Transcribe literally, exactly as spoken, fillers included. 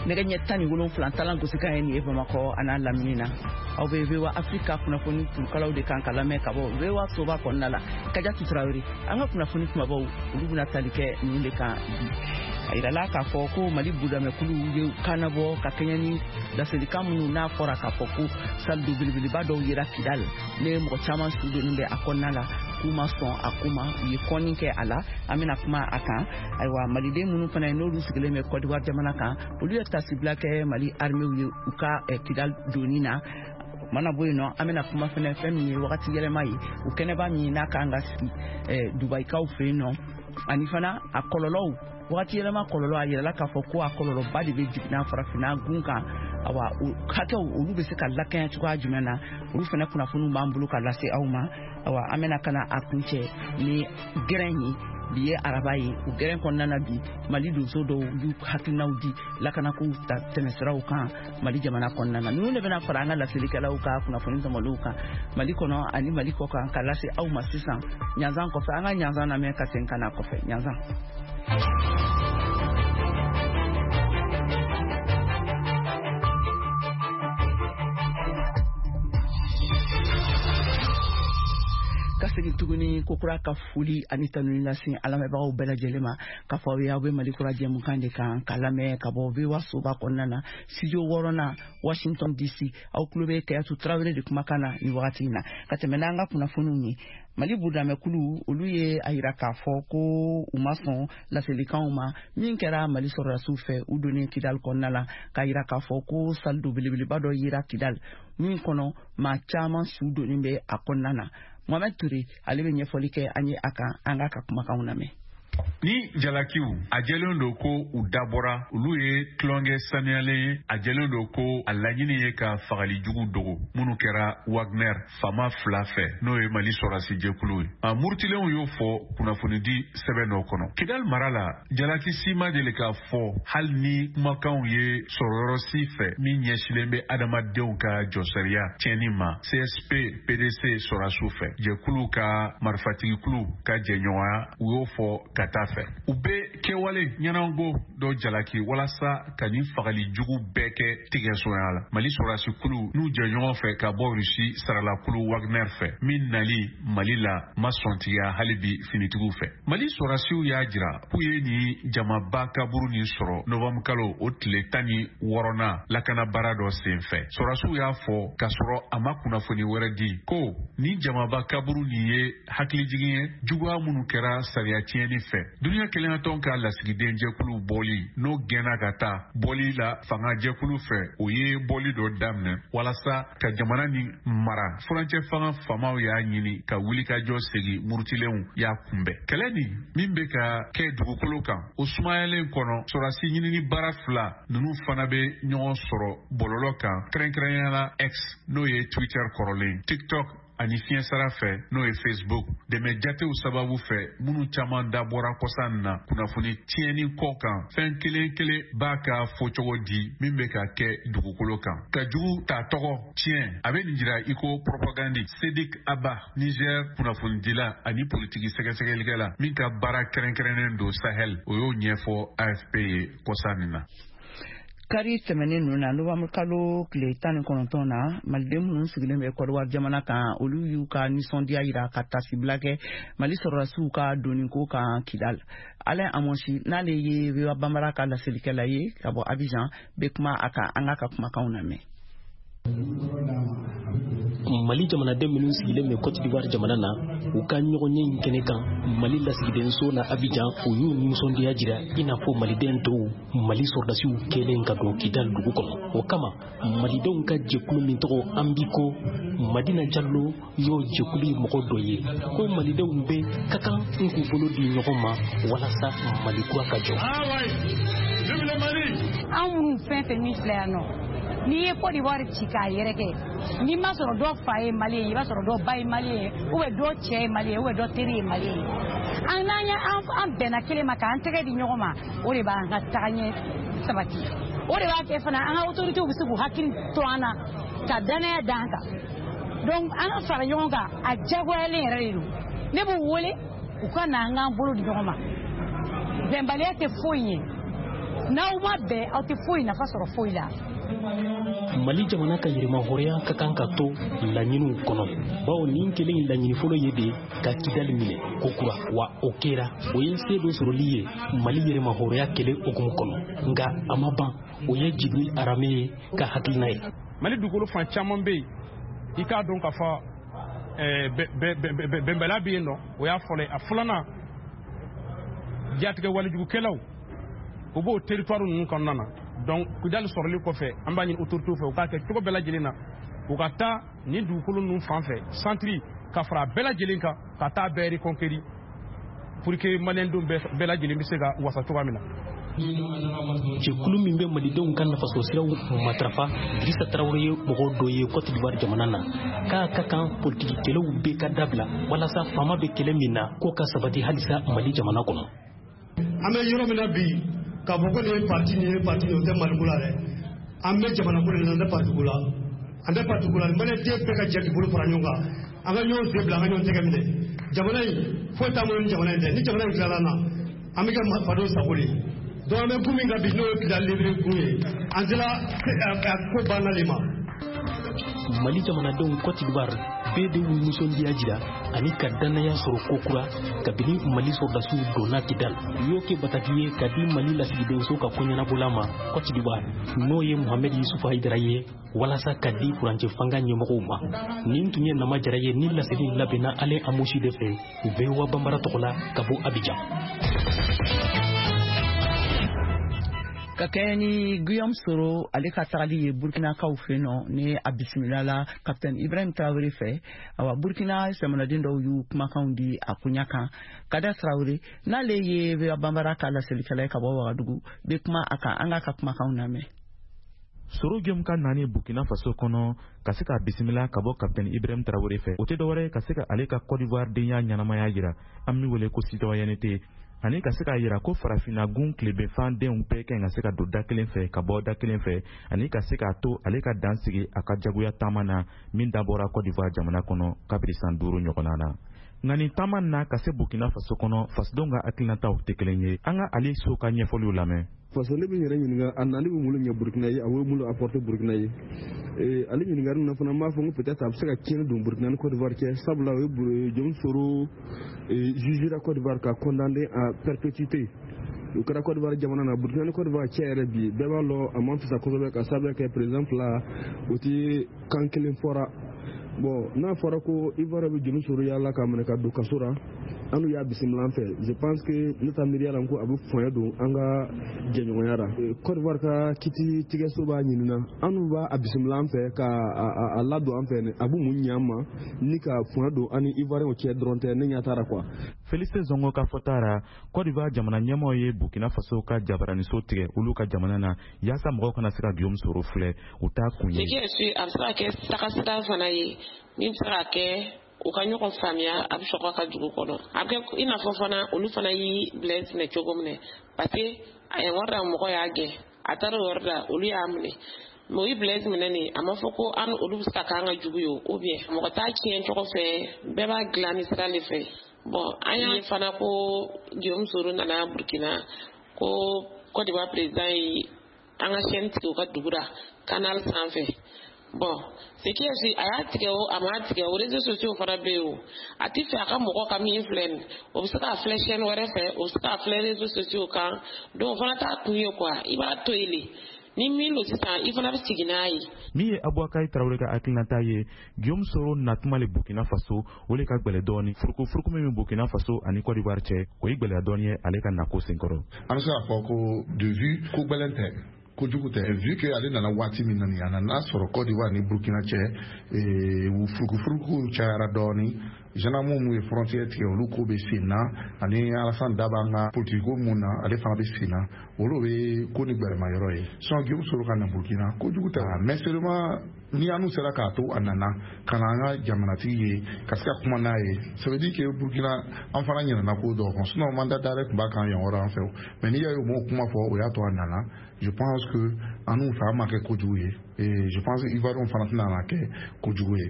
Nɛgɛ ɲɛ tan ni wolonfila talan gosikan ye nin ye Bamakɔ a n'a lamini na. Aw bɛ V O A Afrika kunnafoni turukalaw de kan ka lamɛn ka bɔ V O A soba kɔnɔna la. Kajatu Tarawele, an ka kunnafoni kumabaw olu bɛna tali kɛ ninnu de kan bi. A yirala k'a fɔ ko Mali budamɛkulu ye kannabɔ ka kɛɲɛ ni laselikan minnu n'a fɔra k'a fɔ ko saldo belebeleba dɔw yera Kidal ne mɔgɔ caman su donnen bɛ a kɔnɔna la k'u ma sɔn a ko ma, u ye kɔnni kɛ a la. An bɛna kuma a kan. Ayiwa, maliden minnu fana ye n'olu sigilen bɛ Côte d'Ivoire jamana kan, olu ye tasibila kɛ Mali armée ye u ka Kidal donni na. Mana bɔ yen nɔ, an bɛna kuma fɛnɛ fɛn min ye wagati yɛlɛma ye, o kɛnɛba min n'a kan ka sigi Dubayikaw fɛ yen nɔ, ani fana a kɔlɔlɔw, wagati yɛlɛma kɔlɔlɔ, a yirala k'a fɔ ko a kɔlɔlɔba de bɛ jiginna farafinna gun kan. Awa, o hakɛw olu bɛ se ka lakɛɲɛ cogoya jumɛn na, olu fana kunnafoniw b'an bolo ka lase aw ma. Awa, an bɛna ka na a kuncɛ ni gɛrɛn ye. Bi ye araba ye, o gɛrɛn kɔnɔna na bi Mali donso dɔw y'u hakilinaw di lakanakow ta tɛmɛsiraw kan Mali jamana kɔnɔna na. Ninnu de bɛna fara an ka laselikɛlaw ka kunnafoni tɔmɔlenw kan Mali kɔnɔ ani Mali kɔ kan ka lase aw ma sisan. Ɲanzan kɔfɛ, an ka ɲanzan lamɛn ka segin ka na kɔfɛ. Ɲanzan. Ka segin tuguni kokura ka foli ani tanuni lase an lamɛnbagaw bɛɛ lajɛlen ma k'a fɔ aw ye aw bɛ Mali kura jɛmukan de kan ka lamɛn ka bɔ V O A soba kɔnɔna na, studio wɔɔrɔnan, Washington D C. Aw tulo bɛ Kayatu Tarawele de kumakan na nin wagati in na. Ka tɛmɛ n'an ka kunnafoniw ye, Mali budamɛkulu olu ye a yira k'a fɔ ko u ma sɔn laselikanw ma min kɛra Mali sɔrɔdasiw fɛ u donnen Kidal kɔnɔna la, k'a yira k'a fɔ ko saldo belebeleba dɔ yera Kidal min kɔnɔ maa caman su donnen bɛ a kɔnɔna na. Mohamed Touré, ale bɛ ɲɛfɔli kɛ an ye a kan, an k'a ka kumakanw lamɛn. Ni jalakiw a jɛlen don ko u dabɔra, olu ye tulonkɛ saniyalen ye. A jɛlen don ko a laɲini ye ka fagali jugu dogo minnu kɛra Wagner faama fila fɛ, n'o ye Mali sɔrɔdasi jɛkulu ye. A murutilenw y'o fɔ kunnafonidi sɛbɛn dɔ kɔnɔ. Kidal mara la, jalaki si ma deli k'a fɔ hali ni kumakanw ye sɔrɔyɔrɔ si fɛ min ɲɛsilen bɛ adamadenw ka jɔsariya tiɲɛni ma C S P P D C sɔrɔdasiw fɛ. Jɛkulu ka marifatigikulu ka jɛɲɔgɔnya, u y'o fɔ ka taa fɛ. U bɛ kɛwale ɲɛnango dɔ jalaki walasa ka nin fagali jugu bɛɛ kɛ tigɛsonya la. Mali sɔrɔdasikulu n'u jɛɲɔgɔn fɛ ka bɔ Rusi saralakulu Wagner fɛ min nali Mali la ma sɔntigiya hali bi finitigiw fɛ. Mali sɔrɔdasiw y'a jira k'u ye nin jamaba kaburu nin sɔrɔ novembre kalo o tile tan ni wɔɔrɔnan lakana baara dɔ sen fɛ. Sɔrɔdasiw y'a fɔ k'a sɔrɔ a ma kunnafoni wɛrɛ di ko nin jamaba kaburu nin ye hakilijigin ye juguya minnu kɛra sariya tiɲɛni fɛ. Duniya kelenyatɔn ka lasigiden jɛkulu bɔli n'o gɛnna ka taa bɔli la fanga jɛkulu fɛ, o ye bɔli dɔ daminɛ walasa ka jamana nin mara. Furancɛ fanga faamaw y'a ɲini ka wulikajɔ segin, murutilenw y'a kunbɛn. Kɛlɛ nin min bɛ ka kɛ dugukolo kan, o sumayalen kɔnɔ, sɔrɔdasi ɲinini baara fila ninnu fana bɛ ɲɔgɔn sɔrɔ bɔlɔlɔ kan, kɛrɛnkɛrɛnnenya la X n'o ye Twitter kɔrɔlen, TikTok ani fiɲɛsira fɛ n'o ye Facebook. Dɛmɛ jatew sababu fɛ minnu caman dabɔra kɔsa in na kunnafoni tiɲɛni kɔ kan, fɛn kelen kelen b'a ka fɔcogo di min bɛ ka kɛ dugukolo kan. Ka jugu ta tɔgɔ tiɲɛ, a bɛ nin jira i ko propagande. Sedik Abba, Niger kunnafonidila ani politiki sɛgɛsɛgɛlikɛla min ka baara kɛrɛnkɛrɛnnen don Sahel, o y'o ɲɛfɔ A F P ye kɔsa nin na. Kari tɛmɛnen ninnu na, novembre kalo tile tan ni kɔnɔntɔn na, maliden minnu sigilen bɛ Côte d'Ivoire jamana kan, olu y'u ka nisɔndiya yira ka tasibila kɛ Mali sɔrɔdasiw ka donniko kan Kidal. Alain Amonsi, n'ale ye V O A Bambara ka laselikɛla ye ka bɔ Abidjan, bɛ kuma a kan, an k'a ka kumakanw lamɛn. Mali jamanaden minnu sigilen bɛ Côte d'Ivoire jamana na, u ka ɲɔgɔnye in kɛnɛ kan Mali lasigidenso na Abidjan, u y'u nisɔndiya jira i n'a fɔ maliden tɔw Mali sɔrɔdasiw kɛlen ka don Kidal dugu kɔnɔ. O kama, malidenw ka jɛkulu min tɔgɔ Ambiko, Madina Jallo y'o jɛkulu mɔgɔ dɔ ye, ko malidenw bɛ ka kan n k'u bolo di ɲɔgɔn ma walasa Mali kura ka jɔ. Anw minnu fɛn fɛn min filɛ yan nɔ, n'i ye Côte d'Ivoire ci k'a yɛrɛkɛ, n'i ma sɔrɔ dɔ fa ye malien ye, i b'a sɔrɔ dɔ ba ye malien ye, ou bien dɔ cɛ ye malien ye, ou bien dɔ teri ye malien ye. An n'an ye an bɛnna kelen ma k'an tɛgɛ di ɲɔgɔn ma, o de b'an ka tagaɲɛ sabati. O de b'a kɛ fana an ka autorités bɛ se k'u hakili to an na ka danaya d'an kan. Donc an ka fara ɲɔgɔn kan, a diyagoyalen yɛrɛ de don. Ne b'u wele u ka na an k'an bolo di ɲɔgɔn ma. Bɛnbaliya tɛ foyi ye. N'aw ma bɛn, aw tɛ foyi nafa sɔrɔ foyi la. Mali jamana ka yɛrɛmahɔrɔnya ka kan ka to laɲiniw kɔnɔ, bawo nin kelen in laɲini fɔlɔ ye de ka Kidali minɛ kokura, wa o kɛra. O ye se dɔ sɔrɔli ye Mali yɛrɛmahɔrɔnya kɛlɛ hukumu kɔnɔ, nka a ma ban. O ye Jibril Arame ye ka hakilina ye. Mali dugukolo fan caman bɛ yen, i k'a dɔn k'a fɔ bɛnbaliya bɛ yen nɔ. O y'a fɔlɔ ye. A filanan, jatigɛ walijugukɛlaw, o b'o territoire ninnu kɔnɔna na. Donc Kidali sɔrɔli kɔfɛ, an b'a ɲini autorité fɛ, u k'a kɛ cogo bɛɛ lajɛlen na, u ka taa nin dugukolo ninnu fan fɛ, centre ka fara bɛɛ lajɛlen kan, ka taa bɛɛ reconquérir pour que maliyɛndenw bɛɛ lajɛlen bɛ se ka wasa cogoya min na. Jɛkulu min bɛ malidenw ka nafasɔrɔsiraw matarafa, Dirisa Tarawele ye mɔgɔ dɔ ye Cote d'Ivoire jamana na, k'a ka kan politiki kɛlɛw bɛɛ ka dabila walasa faama bɛ kɛlɛ min na k'o ka sabati halisa Mali jamana kɔnɔ. An bɛ yɔrɔ min na bi, k'a fɔ ko nin ye parti, nin ye parti, o tɛ Maliko la dɛ. An bɛ jamana ko de la, an tɛ parti ko la, an tɛ parti ko la. Maliyɛn bɛɛ ka jɛ k'i bolo fara ɲɔgɔn kan, an ka ɲɔgɔn sen bila, an ka ɲɔgɔn tɛgɛ minɛ. Jamana in foyi t'an bolo ni jamana in tɛ. Ni jamana in tilala an na, an bɛ kɛ fadenw sago de ye. Donc an bɛ kun min kan bi, n'o ye Kidali libéré kun ye, an sera ko banna de ma. Mali jamanadenw Cote d'Ivoire bɛɛ de y'u nisɔndiya jira ani ka dannaya sɔrɔ kokura kabini Mali sɔrɔdasiw donna Kidal. U y'o kɛ bataki ye ka di Mali lasigidenso ka koɲɛnabɔla ma Cote d'Ivoire, n'o ye Mohamed Yusufu Hayidara ye, walasa ka di furancɛ fanga ɲɛmɔgɔw ma. Nin tun ye Nama Jara ye ni laseli labɛnna Ale Amosi de fɛ V O A Banbara tɔgɔ la ka bɔ Abidjan. Ka kɛɲɛ ni Guillaume Soro ale ka tagali ye Burkinakaw fɛ nɔ ni a bisimila la Capitaine Ibrahim Traoré fɛ, awa, Burkina jamanaden dɔw y'u kumakanw di a koɲa kan. Kada Traoré, n'ale ye V O A Banbara ka laselikɛla ye ka bɔ Wagadugu, bɛ kuma a kan. An k'a ka kumakanw lamɛn. Soro Guillaume ka nani Burkina Faso kɔnɔ ka se ka bisimila ka bɔ Capitaine Ibrahim Traoré fɛ, o tɛ dɔwɛrɛ ka se ka ale ka Côte d'Ivoire denya ɲɛnamaya yira, an min wele ko citoyenneté, ani ka se k'a yira ko farafinna gun tilebinfan denw bɛɛ ka ɲi ka se ka don da kelen fɛ ka bɔ da kelen fɛ, ani ka se k'a to ale ka dan sigi a ka jagoya taama na min dabɔra Côte d'Ivoire jamana kɔnɔ kabiri san duuru ɲɔgɔnna na. Nka nin taama na ka se Burkina Faso kɔnɔ, fasodenw ka hakilinataw tɛ kelen ye. An ka ale so ka ɲɛfɔliw lamɛn. Faso ne bɛ n yɛrɛ ɲininka, a nali bɛ mun ɲɛ Burukina ye, a bɛ mun apporter Burukina ye? Ale ɲininkali na fana, n b'a fɔ ko peut-être a bɛ se ka tiɲɛni don Burukina ni Côte d'Ivoire cɛ, sabula o ye Guillaume Soro jugera Côte d'Ivoire ka condamné à perpétuité. O kɛra Côte d'Ivoire jamana na. Burukina ni Côte d'Ivoire cɛ yɛrɛ bi, bɛɛ b'a lɔn a man fisa kosɛbɛ, ka sababu kɛ président fila o tɛ kan kelen fɔra. Bon, n'a fɔra ko Ivoire bɛ Guillaume Soro yala k'a minɛ ka don kaso la, an n'u y'a bisimila an fɛ, je pense que ne ta miiriya la ko a bɛ fɔɲɛ don an ka jɛɲɔgɔnya la. Côte d'Ivoire ka kiti tigɛso b'a ɲinina, an n'u b'a bisimila an fɛ ka a ladon an fɛ, a bɛ mun ɲɛ an ma ni ka fɔɲɛ don an ni Ivoirien cɛ dɔrɔn tɛ, ne ɲɛ t'a la quoi. Félicité Zongo ka fɔta ra, Côte d'Ivoire jamana ɲɛmɔgɔ ye Burkina Faso ka jabaraniso tigɛ olu ka jamana na yaasa mɔgɔw kana se ka Guillaume Soro filɛ, u t'a kun ye. Ce qui est sûr, a bɛ se ka kɛ tagasira fana ye min bɛ se ka kɛ u ka ɲɔgɔn faamuya, a bɛ sɔrɔ ka dugu kɔnɔ. A bɛ kɛ i n'a fɔ fana olu fana y'i Blaise minɛ cogo min na, parce que a ye wari da, mɔgɔ y'a gɛn, a taara o yɔrɔ la, olu y'a minɛ. Mais o ye Blaise minɛ nin, a ma fɔ ko an olu bɛ se ka k'an ka jugu ye o, ou bien mɔgɔ t'a tiɲɛ cogo fɛ, bɛɛ b'a dilan ni sira de fɛ. Bon, an y'a ye fana ko Guillaume Soro nana Burkina, ko Côte d'Ivoire président ye an ka chaîne tigɛ u ka dugu la, canal sanfɛ. Bon, ce qui est sûr, a y'a tigɛ o, a m'a tigɛ o, réseaux sociaux fana bɛ yen o. A ti fɛ a ka mɔgɔ ka min filɛ nin, o bɛ se k'a filɛ chaîne wɛrɛ fɛ, o bɛ se k'a filɛ réseaux sociaux kan. Donc o fana t'a kun ye quoi, i b'a to yen de, ni min don sisan, i fana bɛ sigi n'a ye. Min ye Abubakari Tarawele ka hakilinata ye, Guillaume Soro natuma le Burkina Faso, o le ka gwɛlɛ dɔɔni. Furukufuruku min bɛ Burkina Faso ani Côte d'Ivoire cɛ, o ye gwɛlɛya dɔɔni ye ale ka nako senkɔrɔ. An bɛ se k'a fɔ ko de vue ko gwɛlɛn tɛ, kojugu tɛ, vu que ale nana waati min na nin, a nana sɔrɔ Côte d'Ivoire ni Burkina cɛ furukufuruku cayara dɔɔni. Gendarme mun ye frontière tigɛ, olu ko bɛ sen na, ani Alassane Daba an ka politique ko mun na, ale fana bɛ sen na, olu bɛ ko ni gbɛrɛma yɔrɔ ye. Sinon Guillaume Soro ka na Burkina, kojugu tɛ, mais seulement ni an sera k'a to a nana ka na an ka jamanatigi ye ka se ka kuma n'a ye, ça veut dire que Burkina an fana ɲinɛna ko dɔw kɔ. Sinon mandat d'arrêt tun b'a kan yan yɔrɔ an fɛ, mais n'i y'a ye u m'o kuma fɔ, o y'a to a nana. Je pense que an n'u fɛ an ma kɛ kojugu ye, et je pense que Ivoiriens fana tɛna na kɛ kojugu ye.